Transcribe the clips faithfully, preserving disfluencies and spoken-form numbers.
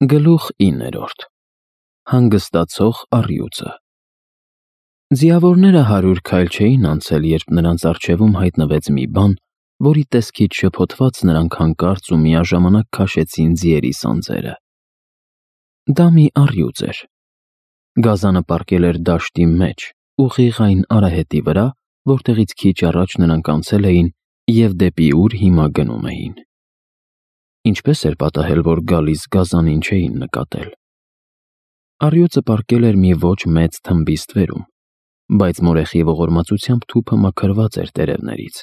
Գլուխ իններորդ. Հանգստացող առյուծը։ Ձիավորները հարյուր քայլ չէին անցել, երբ նրանց առջևում հայտնվեց մի բան, որի տեսքից շփոթված նրանք հանկարծ ու միաժամանակ քաշեցին ձիերի սանձերը։ Դա մի առյուծ էր։ Գազանը պառկել էր դաշտի մեջ, ուղիղ այն արահետի վրա, որտեղից քիչ առաջ նրանք անցել էին և դեպի ուր հիմա գնում էին։ Ինչպես էր պատահել, որ գալիս գազանին չէին նկատել։ Առյուծը պառկել էր մի ոչ մեծ թմբի ստվերում, բայց մորեխի ողորմածությամբ թուփը մաքրված էր տերևներից,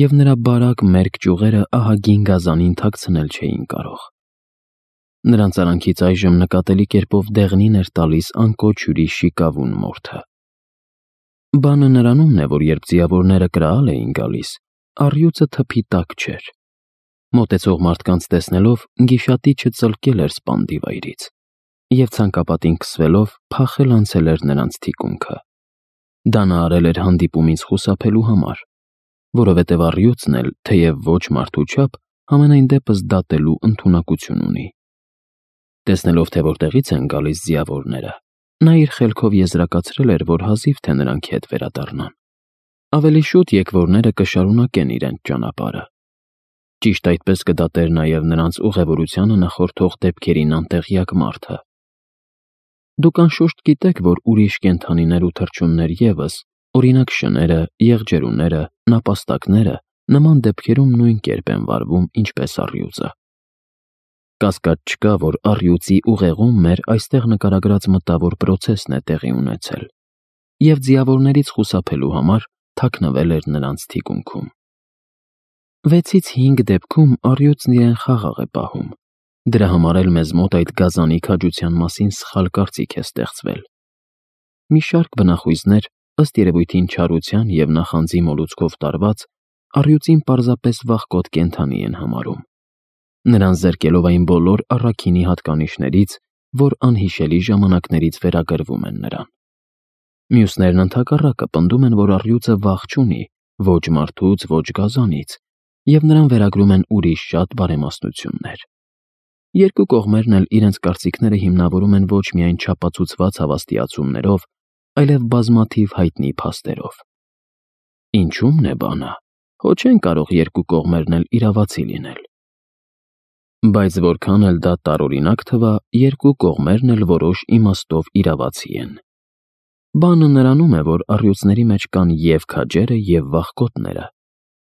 և նրա բարակ մերկ ճյուղերը ահագին գազանին թաքցնել չէին կարող։ Նրանց արանքից այժմ նկատելի կերպով դեղնին էր տալիս անկոչ հյուրի շիկավուն մորթը։ Բանը նրանումն է, որ երբ ձիավորները կրակալ էին գալիս, առյուծը թփի տակ չէր։ Մոտեցող մարդկանց տեսնելով, գիշատիչը ծլկել էր սպանդի վայրից և ցանկապատին քսվելով փախել անցել էր նրանց թիկունքը։ Դա նա արել էր հանդիպումից խուսափելու համար, որովհետև առյուծն էլ, թեև ոչ մարդու չափ, համենայն դեպս դատելու ընդունակություն ունի։ Տեսնելով, թե որտեղից են գալիս ձիավորները, նա իր խելքով եզրակացրել էր, որ հազիվ թե նրանք հետ վերադառնան։ Ավելի շուտ եկվորները կշարունակեն իրենց ճանապարհը։ Ճիշտ այդպես կդատեր նաև նրանց ուղևորությանը նախորդող դեպքերին անտեղյակ մարդը։ Դուք անշուշտ գիտեք, որ ուրիշ կենդանիներ ու թռչուններ ևս, օրինակ շները, եղջերուները, նապաստակները, նման դեպքերում նույն կերպ են վարվում, ինչպես առյուծը։ Կասկած չկա, որ առյուծի ուղեղում մեր այստեղ նկարագրած մտավոր պրոցեսն է տեղի ունեցել, և ձիավորներից խուսափելու համար թաքնվել էր նրանց թիկունքում։ Վեցից հինգ դեպքում առյուծն իրեն խաղաղ է պահում, դրա համար էլ մեզ մոտ այդ գազանի քաջության մասին սխալ կարծիք է ստեղծվել։ Մի շարք բնախույզներ, ըստ երևույթին չարության և նախանձի մոլուցքով տարված, առյուծին պարզապես վախկոտ կենդանի են համարում, նրան զրկելով այն բոլոր առաքինի հատկանիշներից, որ անհիշելի ժամանակներից վերագրվում են նրան։ Մյուսներն ընդհակառակը պնդում են, որ առյուծը վախ չունի ոչ մարդուց, ոչ գազանից, և նրան վերագրում են ուրիշ շատ բարեմաստություններ։ Երկու կողմերն էլ իրենց կարծիքները հիմնավորում են ոչ միայն չափածուցված հավաստիացումներով, այլև բազմաթիվ հայտնի փաստերով։ Ինչու՞մն է բանը, հո չեն կարող երկու կողմերն էլ իրավացի լինել։ Բայց որքան էլ դա տարօրինակ թվա, երկու կողմերն էլ որոշ իմաստով իրավացի են։ Բանը նրանում է, որ առյուծների մեջ կան և քաջերը, և վախկոտները։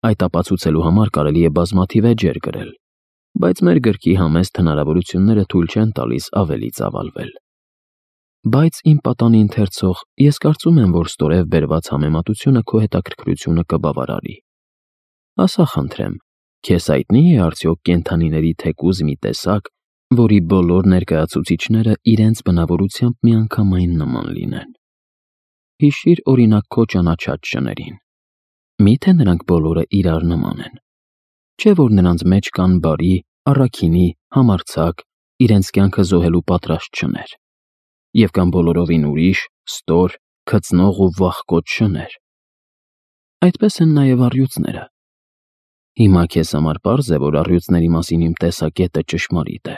Այդ ապացուցելու համար կարելի է բազմաթիվ էջեր գրել, բայց մեր գրքի համեստ հնարավորությունները թույլ չեն տալիս ավելի ծավալվել։ Բայց իմ պատանի ընթերցող, ես կարծում եմ, որ ստորև բերված համեմատությունը քո հետաքրքրությունը կբավարարի։ Ասա խնդրեմ, քեզ հայտնի է արդյոք կենդանիների թեկուզ մի տեսակ, որի բոլոր ներկայացուցիչները իրենց բնավորությամբ միանգամայն նման լինեն։ Հիշիր օրինակ քո ճանաչած շներին։ Մի՞թե նրանք բոլորը իրար նման են։ Չէ՞ որ նրանց մեջ կան բարի, առաքինի, համարձակ, իրենց կյանքը զոհելու պատրաստ շներ, և կան բոլորովին ուրիշ, ստոր, քծնող ու վախկոտ շներ։ Այդպես են նաև առյուծները։ Հիմա քեզ համար պարզ է, որ առյուծների մասին իմ տեսակետը ճշմարիտ է։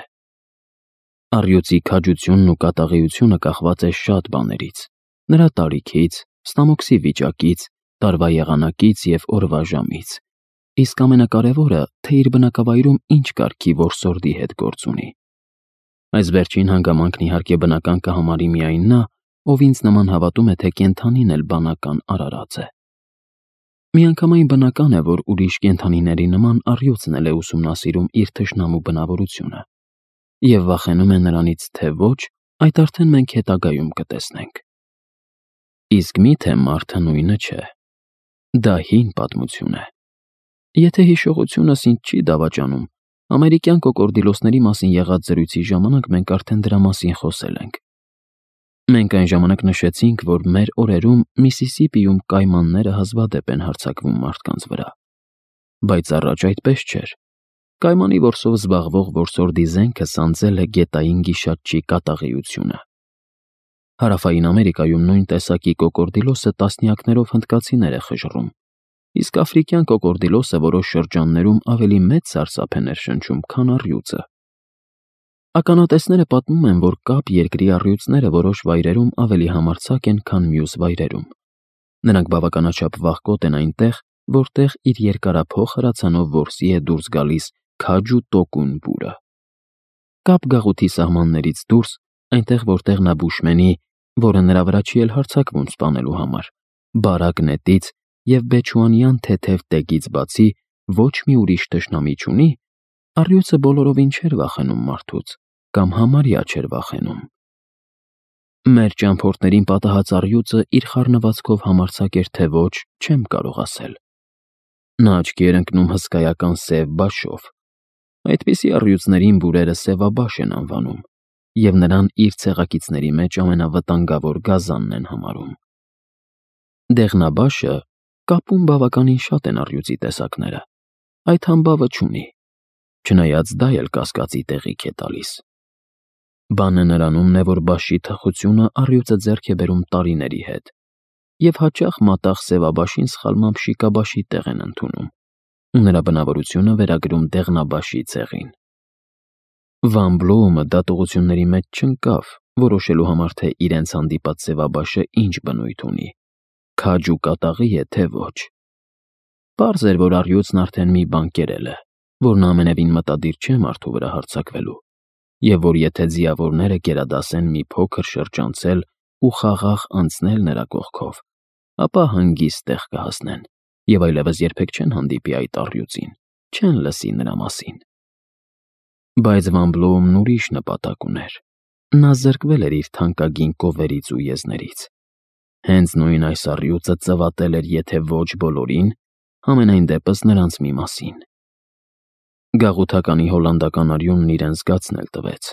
Առյուծի քաջությունն ու կատաղիությունը կախված է շատ բաներից՝ նրա տարիքից, ստամոքսի վիճակից, տարվա եղանակից և օրվա ժամից, իսկ ամենակարևորը, թե իր բնակավայրում ինչ կարգի որսորդի հետ գործ ունի։ Այս վերջին հանգամանքն իհարկե բնական կհամարի միայն նա, ով ինձ նման հավատում է, թե կենդանին էլ բանական արարած է։ Միանգամայն բնական է, որ ուրիշ կենդանիների նման առյուծն էլ է ուսումնասիրում իր թշնամու բնավորությունը, և վախենում է նրանից, թե ոչ, այդ արդեն մենք հետագայում կտեսնենք։ Իսկ մի՞թե մարդը նույնը չէ։ Դա հին պատմություն է։ Եթե հիշողությունս ինձ չի դավաճանում, ամերիկյան կոկորդիլոսների մասին եղած զրույցի ժամանակ մենք արդեն դրա մասին խոսել ենք։ Մենք այն ժամանակ նշեցինք, որ մեր օրերում Միսիսիպիում կայմանները հազվադեպ են հարձակվում մարդկանց վրա։ Բայց առաջ այդպես չէր։ Կայմանի որսով զբաղվող որսորդի զենքը սանձել է գետային գիշատչի կատաղիությունը։ Հարավային Ամերիկայում նույն տեսակի կոկորդիլոսը տասնյակներով հնդկացիներ է խժռում, իսկ աֆրիկյան կոկորդիլոսը որոշ շրջաններում ավելի մեծ սարսափ է ներշնչում, քան առյուծը։ Ականատեսները պատմում են, որ կապ երկրի առյուծները որոշ վայրերում ավելի համարձակ են, քան մյուս վայրերում։ Նրանք բավականաչափ վաղկոտ են այնտեղ, որտեղ իր երկարափոխ հրացանով որսի է դուրս գալիս քաջ ու տոկուն բուրը։ Կապ գաղութի սահմաններից դուրս, այնտեղ որտեղ նա բուշմենի, որը նրա վրա չի էլ հարձակվում սպանելու համար, բարակ նետից և բեչուանյան թեթև տեգից բացի ոչ մի ուրիշ թշնամի չունի, առյուծը բոլորովին չէր վախենում մարդուց, կամ համարյա չէր վախենում։ Մեր ճամփորդներին պատահած առյուծը իր խառնվածքով համարձակ էր թե ոչ, չեմ կարող ասել։ Նա աչքի էր ընկնում հսկայական սև բաշով։ Այդպիսի առյուծներին բուրերը սևաբաշ են անվանում, և նրան իր ցեղակիցների մեջ ամենավտանգավոր գազանն են համարում։ Դեղնաբաշը կապում բավականին շատ են առյուծի տեսակները, այդ համբավը չունի, չնայած դա էլ կասկածի տեղիք է տալիս։ Բանը նրանումն է, որ բաշի թխությունը առյուծը ձեռք է բերում տարիների հետ, և հաճախ մատաղ սևաբաշին սխալմամբ շիկաբաշի տեղ են ընդունում ու նրա բնավորությունը վերագրում դեղնաբաշի ցեղին։ Վան Բլոումը դատողությունների մեջ չընկավ, որոշելու համար, թե իրենց հանդիպած սևաբաշը ինչ բնույթ ունի, քաջ ու կատաղի է, թե ոչ։ Պարզ էր, որ առյուծն արդեն մի բան կերել է, որն ամենևին մտադիր չէ մարդու վրա հարձակվելու, և որ եթե ձիավորները գերադասեն մի փոքր շրջանցել ու խաղաղ անցնել նրա կողքով, ապա հանգիստ տեղ կհասնեն և այլևս երբեք չեն հանդիպի այդ առյուծին, չեն լսի նրա մասին։ Բայց Վան Բլոումն ուրիշ նպատակ ուներ։ Նա զրկվել էր իր թանկագին կովերից ու եզներից։ Հենց նույն այս առյուծը ծվատել էր եթե ոչ բոլորին, համենայն դեպս նրանց մի մասին։ Գաղութականի հոլանդական արյունն իրեն զգացնել տվեց։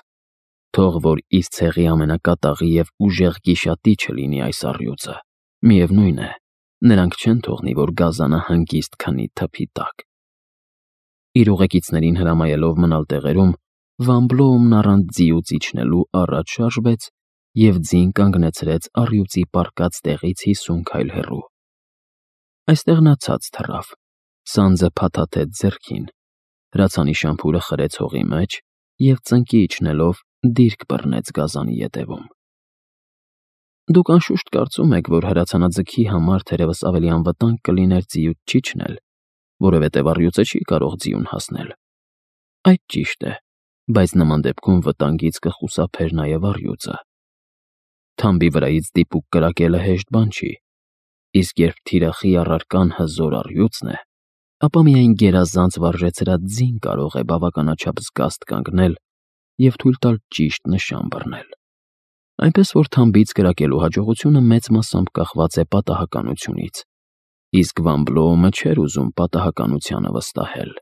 Թող որ իր ցեղի ամենակատաղի և ուժեղ գիշատիչը լինի այս առյուծը, միևնույն է, նրանք չեն թողնի, որ գազանը հանգիստ քնի թփի տակ։ Իր ուղեկիցներին հրամայելով մնալ տեղերում, Վան Բլոումն առանց ձիուց իջնելու առաջ շարժվեց և ձին կանգնեցրեց առյուծի պառկած տեղից հիսուն քայլ հեռու։ Այստեղ նա ցած թռավ, սանձը փաթաթեց ձեռքին, հրացանի շամփուրը խրեց հողի մեջ և ծնկի իջնելով դիրք բռնեց գազանի ետևում։ Դուք անշուշտ կարծում եք, որ հրացանաձգի համար թերևս ավելի անվտանգ կլիներ ձիուց չիջնել, որովհետև առյուծը չի կարող ձիուն հասնել։ Այդ ճիշտ է, բայց նման դեպքում վտանգից կխուսափեր նաև առյուծը։ Թամբի վրայից դիպուկ կրակելը հեշտ բան չի, իսկ երբ թիրախի առարկան հզոր առյուծն է, ապա միայն գերազանց վարժեցրած ձին կարող է բավականաչափ զգաստ կանգնել և թույլ տալ ճիշտ նշան բռնել։ Այնպես որ թամբից կրակելու հաջողությունը մեծ մասամբ կախված է պատահականությունից, իսկ Վան Բլոումը չէր ուզում պատահականությանը վստահել։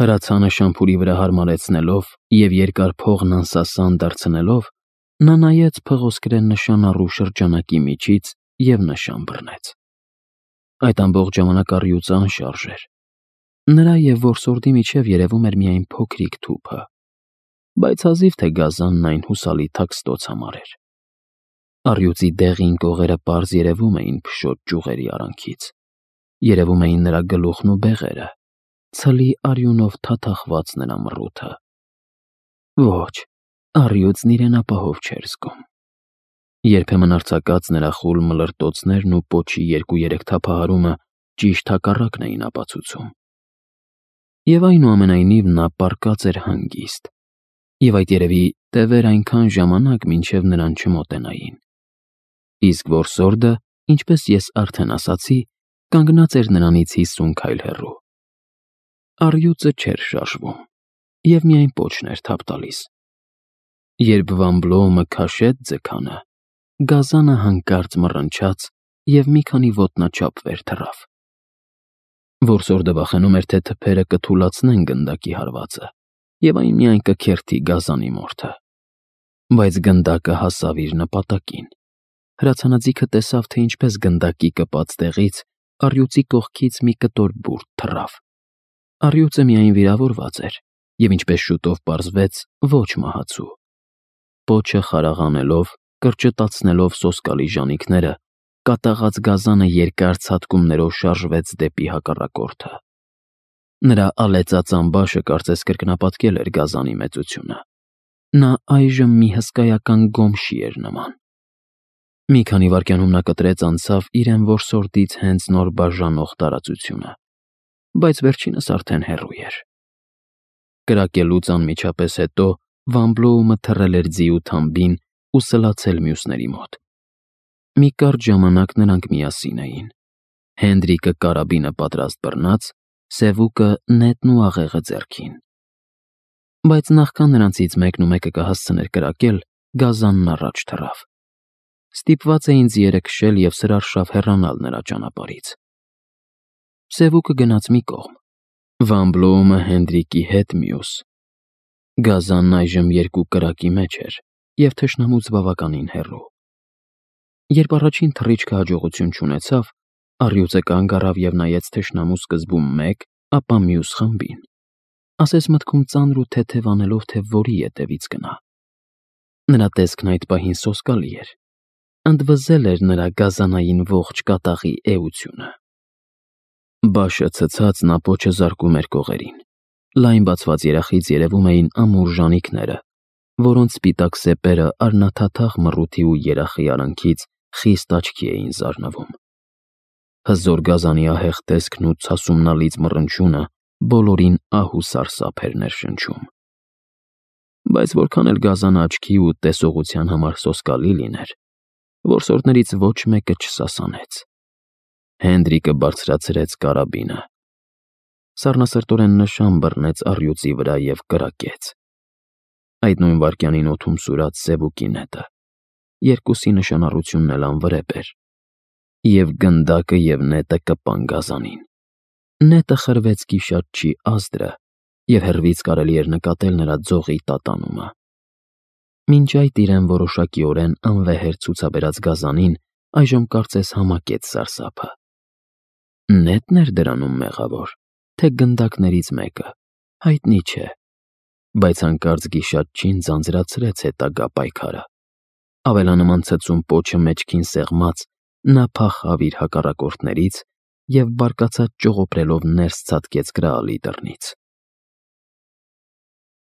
Հրացանը շամփուրի վրա հարմարեցնելով և երկար փողն անսասան դարձնելով, նա նայեց փղոսկրեն նշանառու շրջանակի միջից և նշան բռնեց։ Այդ ամբողջ ժամանակ առյուծը անշարժ էր։ Նրա և որսորդի միջև երևում էր միայն փոքրիկ թուփը, բայց հազիվ թե գազանն այն հուսալի թաքստոց համարեր։ Առյուծի դեղին կողերը պարզ երևում էին փշոտ ճյուղերի արանքից, երևում էին նրա գլուխն ու բեղերը, ցլի արյունով թաթախված նրա մռութը։ Ոչ, առյուծն իրեն ապահով չէր զգում։ Երբեմն արձակած նրա խուլ մլրտոցներն ու պոչի երկու-երեք թափահարումը ճիշտ հակառակն էին ապացուցում։ Եվ այնուամենայնիվ նա պառկած էր հանգիստ, և այդ երևի տևեր այնքան ժամանակ, մինչև նրան չմոտենային։ Իսկ որսորդը, ինչպես ես արդեն ասացի, կանգնած էր նրանից հիսուն քայլ հեռու։ Առյուծը չէր շարժվում և միայն պոչն էր թափ տալիս։ Երբ Վան Բլոումը քաշեց ձգանը, գազանը հանկարծ մռնչաց և մի քանի ոտնաչափ վեր թռավ։ Որսորդը վախենում էր, թե թփերը կթուլացնեն գնդակի հարվածը, և այն միայն կքերթի գազանի մորթը։ Բայց գնդակը հասավ իր նպատակին։ Հրացանաձիգը տեսավ, թե ինչպես գնդակի կպած տեղից առյուծի կողքից մի կտոր բուրդ թռավ։ Առյուծը միայն վիրավորված էր և, ինչպես շուտով պարզվեց, ոչ մահացու։ Պոչը խարաղանելով, կրճտացնելով սոսկալի ժանիքները, կատաղած գազանը երկար ցատկումներով շարժվեց դեպի հակառակորդը։ Նրա ալեցած ամբաշը կարծես կրկնապատկել էր գազանի մեծությունը։ Նա այժմ մի հսկայական գոմշի էր նման։ Մի քանի վայրկյանում նա կտրեց անցավ իրեն որսորդից հենց նոր բաժանող տարածությունը, բայց վերջինս արդեն հեռու էր։ Կրակելուց անմիջապես հետո Վան Բլոումը թռել էր ձիու թամբին ու սլացել մյուսների մոտ։ Մի կարճ ժամանակ նրանք միասին էին։ Հենդրիկը կարաբինը պատրաստ բռնած, Սևուկը նետն ու աղեղը ձեռքին։ Բայց նախքան նրանցից մեկն ու մեկը կհասցներ կրակել, գազանն առաջ թռավ։ Ստիպված էին ձիերը քշել և սրարշավ հեռանալ նրա ճանապարհից։ Սևուկը գնաց մի կողմ, Վան Բլոումը Հենդրիկի հետ մյուս։ Գազանն այժմ երկու կրակի մեջ էր և թշնամուց բավականին հեռու։ Երբ առաջին թռիչքը հաջողություն չունեցավ, առյուծը կանգ առավ և նայեց թշնամու սկզբում մեկ, ապա մյուս խմբին, ասես մտքում ծանր ու թեթև անելով, թե որի ետևից գնա։ Նրա տեսքն այդ պահին սոսկալի էր, ընդվզել էր նրա գազանային ողջ կատաղի էությունը։ Բաշը ցցած նա պոչը զարկում էր կողերին։ Լայն բացված երախից երևում էին ամուր ժանիքները, որոնց սպիտակ սեպերը արնաթաթախ մռութի ու երախի արանքից խիստ աչքի էին զարնվում։ Հզոր գազանի ահեղ տեսքն ու ցասումնալից մռնչյունը բոլորին ահ ու սարսափ էր ներշնչում։ Բայց որքան էլ գազանը աչքի ու տեսողության համար սոսկալի լիներ, որսորդներից ոչ մեկը չսասանեց։ Հենդրիկը բարձրացրեց կարաբինը։ Սառնասրտորեն նշան բռնեց առյուծի վրա և կրակեց։ Այդ նույն վայրկյանին օդում սուրաց Սևուկի նետը, երկուսի նշանառությունն էլ անվրեպ էր, և գնդակը և նետը կպան գազանին։ Նետը խրվեց գիշատչի ազդրը, և հեռվից կարելի էր նկատել նրա ձողի տատանումը։ Մինչ այդ իրեն որոշակիորեն անվեհեր ցուցաբերած գազանին այժմ կարծես համակեց սարսափը։ Նետն էր դրանում մեղավոր, թե գնդակներից մեկը, հայտնի չէ, բայց հանկարծ գիշատչին ձանձրացրեց հետագա պայքարը։ Ավելանման ցցում պոչը մեջքին սեղմած, նա փախավ իր հակառակորդներից և բարկացած ճողոպրելով ներս ցատկեց Գրաալի դռնից։